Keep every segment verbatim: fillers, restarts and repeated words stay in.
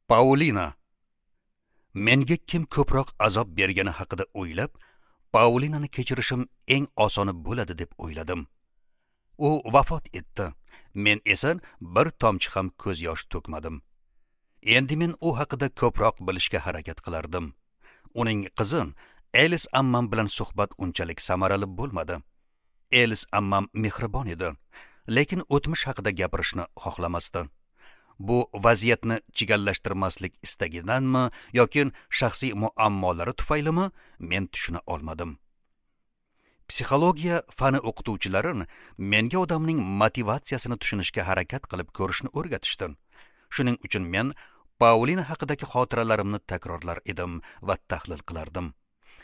Paulina. Menga kim ko'proq azob bergani haqida o'ylab, Paulinani kechirishim eng osoni bo'ladi deb o'yladim. U vafot etdi. Men esa bir tomchi ham ko'z yosh to'kmadim. Endi men u haqida ko'proq bilishga harakat qilardim. Uning qizi Elis ammam bilan suhbat unchalik samarali bo'lmadi. Elis ammam mehribon edi, lekin o'tmish haqida gapirishni xohlamasdi. Bu vaziyatni chigallashtirmaslik istagidanmi yoki shaxsiy muammolari tufaylimi, men tushuna olmadim. Psixologiya fani o'qituvchilari menga odamning motivatsiyasini tushunishga harakat qilib ko'rishni o'rgatishdi. Shuning uchun men Paulina haqidagi xotiralarimni takrorlar edim va tahlil qilardim.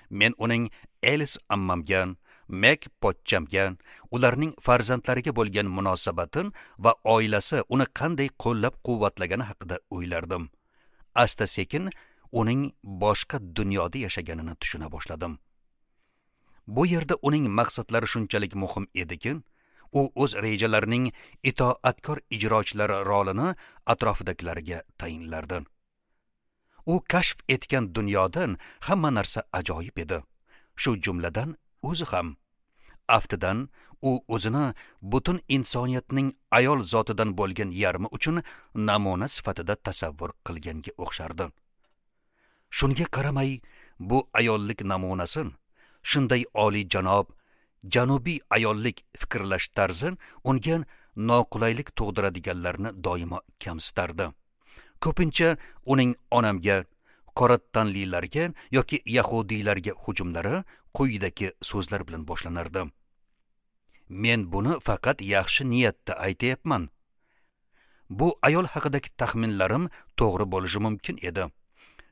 Men uning Elis ammamga, Mek pochchamga, ularning farzandlariga bo'lgan munosabatin va oilasi uni qanday qo'llab-quvvatlagani haqida o'ylardim. Asta-sekin uning boshqa dunyoda yashaganini tushuna boshladim. Bu yerda uning maqsadlari shunchalik muhim ediki, u o'z rejalarining itoatkor ijrochilari rolini atrofidagilarga tayinlardi. U kashf etgan dunyodan hamma narsa ajoyib edi. Shu jumladan o'zi ham. Aftidan u o'zini butun insoniyatning ayol zotidan bo'lgan yarmi uchun namuna sifatida tasavvur qilganga o'xshardi. Shunga qaramay, bu ayollik namunasi shunday oliy janob, janubiy ayollik fikrlash tarzi unga noqulaylik tug'diradiganlarni doimo kamsitardi. Ko'pincha uning onamga, qora tanlilarga yoki yahudiylarga hujumlari quyidagi so'zlar bilan boshlanardi. Men buni faqat yaxshi niyatda aytayapman. Bu ayol haqidagi taxminlarim to'g'ri bo'lishi mumkin edi.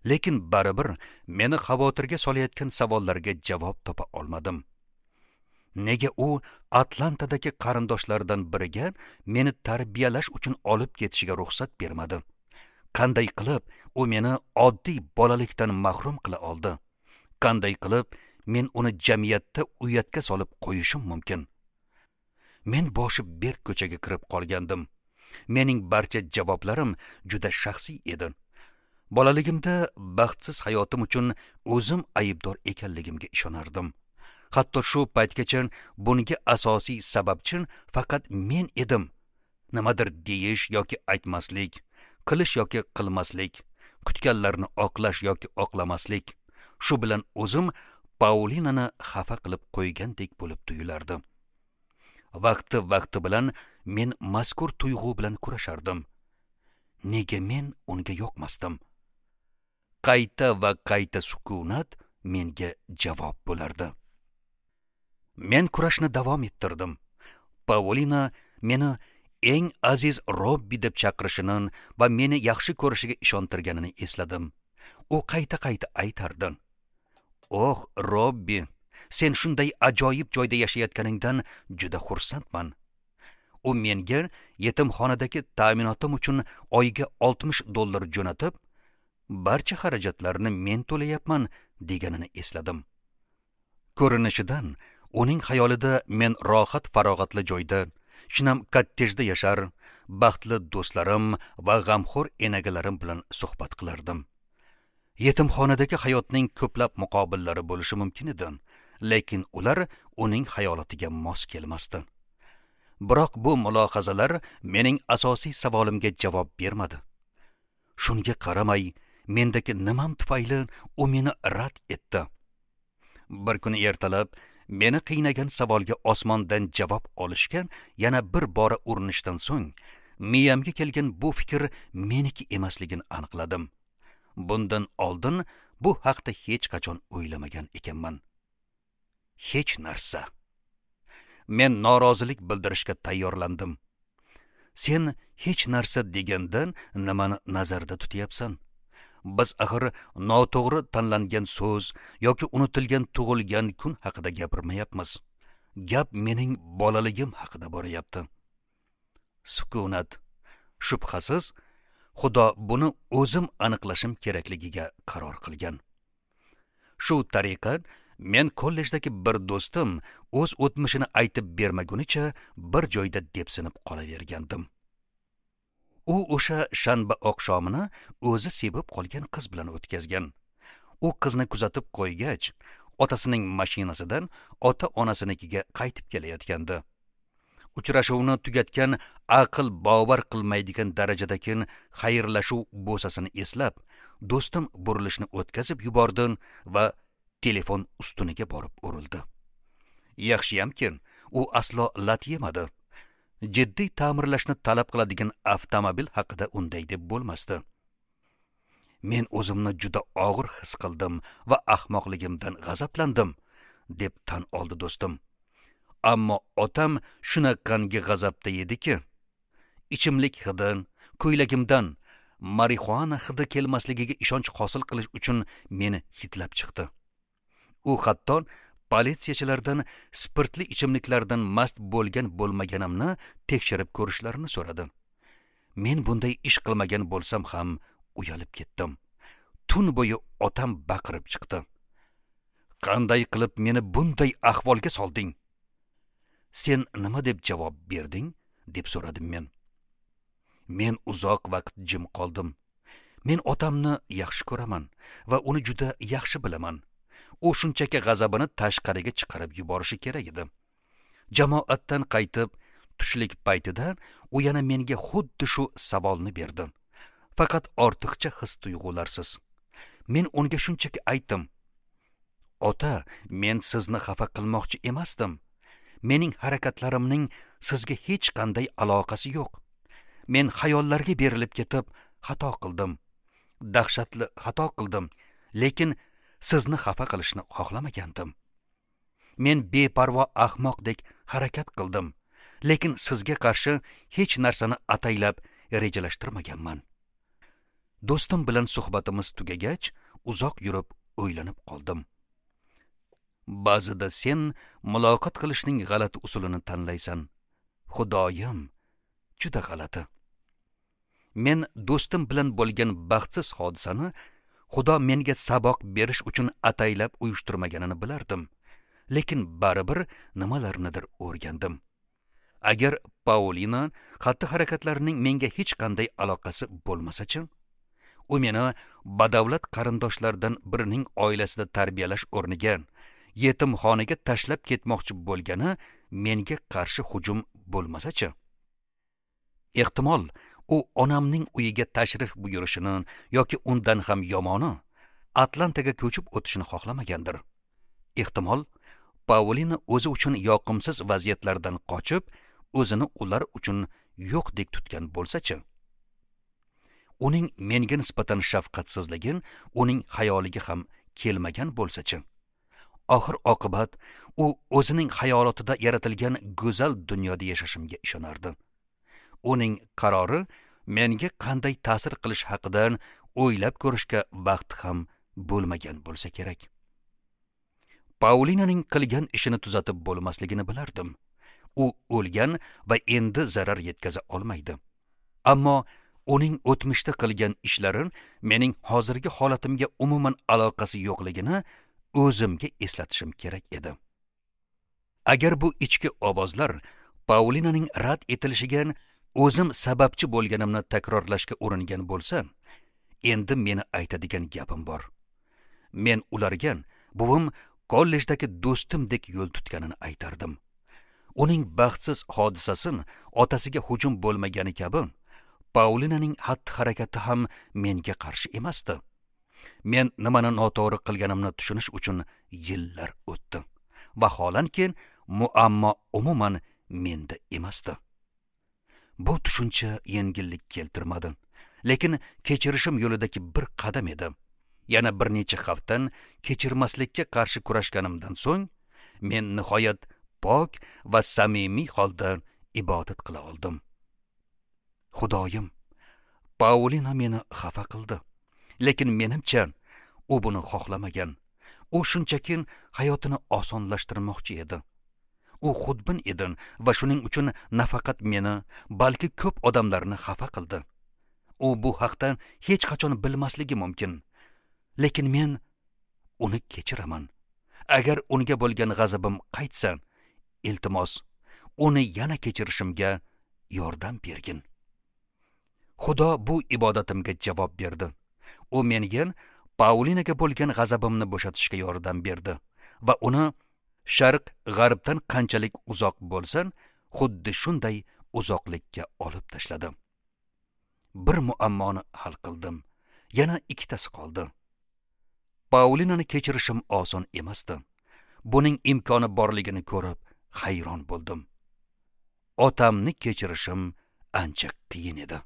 Lekin baribir meni xavotirga solayotgan savollarga javob topa olmadim. Nega u Atlantadagi qarindoshlaridan biriga meni tarbiyalash uchun olib ketishiga ruxsat bermadi? Qanday qilib u meni oddiy bolalikdan mahrum qila oldi? Qanday qilib men uni jamiyatda uyatga solib qo'yishim mumkin? Men boshi berk ko'chaga kirib qolgandim. Mening barcha javoblarim juda shaxsiy edi. Bolaligimda baxtsiz hayotim uchun o'zim aybdor ekanligimga ishonardim. Hatto shu paytgacha bunga asosiy sababchi faqat men edim. Nimadir deyish yoki aytmaslik, qilish yoki qilmaslik, kutganlarni oqlash yoki oqlamaslik, shu bilan o'zim Paulinani xafa qilib qo'ygandek bo'lib tuyulardi. Vaqti-vaqti bilan men mazkur tuyg'u bilan kurashardim. Nega men unga yoqmasdim? Qayta va qayta sukunat menga javob bo'lardi. Men kurashni davom ettirdim. Paulina meni eng aziz Robbi deb chaqirishini va meni yaxshi ko'rishiga ishontirganini esladim. U qayta-qayta aytardi: "Oh, Robbi, sen shunday ajoyib joyda yashayotganingdan juda xursandman." U menga yetimxonadagi ta'minotim uchun oyiga oltmish dollar jo'natib, barcha xarajatlarni men to'layapman deganini esladim. Ko'rinishidan uning xayolida men rohat farog'atli joyda, shinam kottejda yashar, baxtli do'stlarim va g'amxo'r enagalarim bilan suhbat qilardim. Yetimxonadagi hayotning ko'plab muqobillari bo'lishi mumkin edi, lekin ular uning xayolatiga mos kelmasdi. Biroq bu mulohazalar mening asosiy savolimga javob bermadi. Shunga qaramay, mendagi nimam tufayli u meni rad etdi. Bir kuni ertalab meni qiynagan savolga osmondan javob olishga yana bir bora urinishdan so'ng miyamga kelgan bu fikr meniki emasligini aniqladim. Bundan oldin bu haqda hech qachon o'ylamagan ekanman. Hech narsa. Men norozilik bildirishga tayyorlandim. Sen hech narsa degandan nimani nazarda tutyapsan? Biz axir noto'g'ri tanlangan so'z yoki unutilgan tug'ilgan kun haqida gapirmayapmiz. Gap mening bolaligim haqida boryapti. Sukunat. Shubhasiz, Xudo buni o'zim aniqlashim kerakligiga qaror qilgan. Shu tariqa men kollejdagi bir do'stim o'z o'tmishini aytib bermagunicha bir joyda depsinib qolavergandim. U o'sha shanba oqshomini o'zi sevib qolgan qiz bilan o'tkazgan. U qizni kuzatib qo'ygach, otasining mashinasidan ota-onasinikiga qaytib kelayotgandi. Uchrashuvni tugatgan aql bovar qilmaydigan darajadagi xayrlashuv bo'sasini eslab, do'stim burilishni o'tkazib yubordi va telefon ustuniga borib urildi. Yaxshiyamki, u aslo lat yemadi. Jiddiy ta'mirlashni talab qiladigan avtomobil haqida unday deb bo'lmasdi. Men o'zimni juda og'ir his qildim va ahmoqligimdan g'azablandim, deb tan oldi do'stim. Ammo otam shunaqangi g'azabda ediki, ichimlik hidi, ko'ylagimdan marixuana hidi kelmasligiga ishonch hosil qilish uchun meni hidlab chiqdi. U hatto politsiyachilardan spirtli ichimliklardan mast bo'lgan bo'lmaganimni tekshirib ko'rishlarini so'radi. Men bunday ish qilmagan bo'lsam ham uyalib ketdim. Tun bo'yi otam baqirib chiqdi. Qanday qilib meni bunday ahvolga solding? Sen nima deb javob berding? Deb so'radim men. Men uzoq vaqt jim qoldim. Men otamni yaxshi ko'raman va uni juda yaxshi bilaman. U shunchaki g'azabini tashqariga chiqarib yuborishi kerak edi. Jamoatdan qaytib, tushlik paytida u yana menga xuddi shu savolni berdi. Faqat ortiqcha his-tuyg'ularsiz. Men unga shunchaki aytdim: "Ota, men sizni xafa qilmoqchi emasdim. Mening harakatlarimning sizga hech qanday aloqasi yo'q. Men xayollarga berilib ketib xato qildim. Dahshatli xato qildim, lekin sizni xafa qilishni xohlamagandim. Men beparvo ahmoqdek harakat qildim, lekin sizga qarshi hech narsani ataylab rejalashtirmaganman." Do'stim bilan suhbatimiz tugagach, uzoq yurib o'ylanib qoldim. Ba'zida sen muloqot qilishning g'alati usulini tanlaysan. Xudoyim, juda g'alati. Men do'stim bilan bo'lgan baxtsiz hodisani Xudo menga saboq berish uchun ataylab uyushtirmaganini bilardim, lekin baribir nimalarnidir o'rgandim. Agar Paulina xatti-harakatlarining menga hech qanday aloqasi bo'lmasa-chi, u meni badavlat qarindoshlardan birining oilasida tarbiyalash o'rniga yetimxonaga tashlab ketmoqchi bo'lgani menga qarshi hujum bo'lmasa-chi? Ehtimol, u onamning uyiga tashrif buyurishini yoki undan ham yomoni Atlantaga ko'chib o'tishini xohlamagandir. Ehtimol, Paulina o'zi uchun yoqimsiz vaziyatlardan qochib, o'zini ular uchun yo'qdek tutgan bo'lsa-chi? Uning menga nisbatan shafqatsizligi uning xayoliga ham kelmagan bo'lsa-chi? Oxir oqibat u o'zining xayolotida yaratilgan go'zal dunyoda yashashimga ishonardi. Uning qarori menga qanday ta'sir qilish haqida o'ylab ko'rishga vaqt ham bo'lmagan bo'lsa kerak. Paulinaning qilgan ishini tuzatib bo'lmasligini bilardim. U o'lgan va endi zarar yetkaza olmaydi. Ammo uning o'tmishda qilgan ishlari mening hozirgi holatimga umuman aloqasi yo'qligini o'zimga eslatishim kerak edi. Agar bu ichki ovozlar Paulinaning rad etilishiga o'zim sababchi bo'lganimni takrorlashga uringan bo'lsa, endi meni aytadigan gapim bor. Men ularga buvim kollejdagi do'stimdek yo'l tutganini aytardim. Uning baxtsiz hodisasi otasiga hujum bo'lmagani kabi, Paulinaning xatti-harakati ham menga qarshi emasdi. Men nimani noto'g'ri qilganimni tushunish uchun yillar o'tdi. Vaholanki, muammo umuman menda emasdi. Bu tushuncha yengillik keltirmadi, lekin kechirishim yo'lidagi bir qadam edi. Yana bir necha haftadan kechirmaslikka qarshi kurashganimdan so'ng, men nihoyat pok va samimiy holda ibodat qila oldim. Xudoyim, Paulina meni xafa qildi, lekin menimcha u buni xohlamagan. U shunchaki hayotini osonlashtirmoqchi edi. U xudbin edi va shuning uchun nafaqat meni, balki ko'p odamlarni xafa qildi. U bu haqda hech qachon bilmasligi mumkin. Lekin men uni kechiraman. Agar unga bo'lgan g'azabim qaytsa, iltimos, uni yana kechirishimga yordam bergin. Xudo bu ibodatimga javob berdi. U menga Paulinaga bo'lgan g'azabimni bo'shatishga yordam berdi va uni sharq g'arbdan qanchalik uzoq bo'lsin, xuddi shunday uzoqlikka olib tashladi. Bir muammoni hal qildim. Yana ikkitasi qoldi. Paulinani kechirishim oson emasdi. Buning imkoni borligini ko'rib hayron bo'ldim. Otamni kechirishim ancha qiyin edi.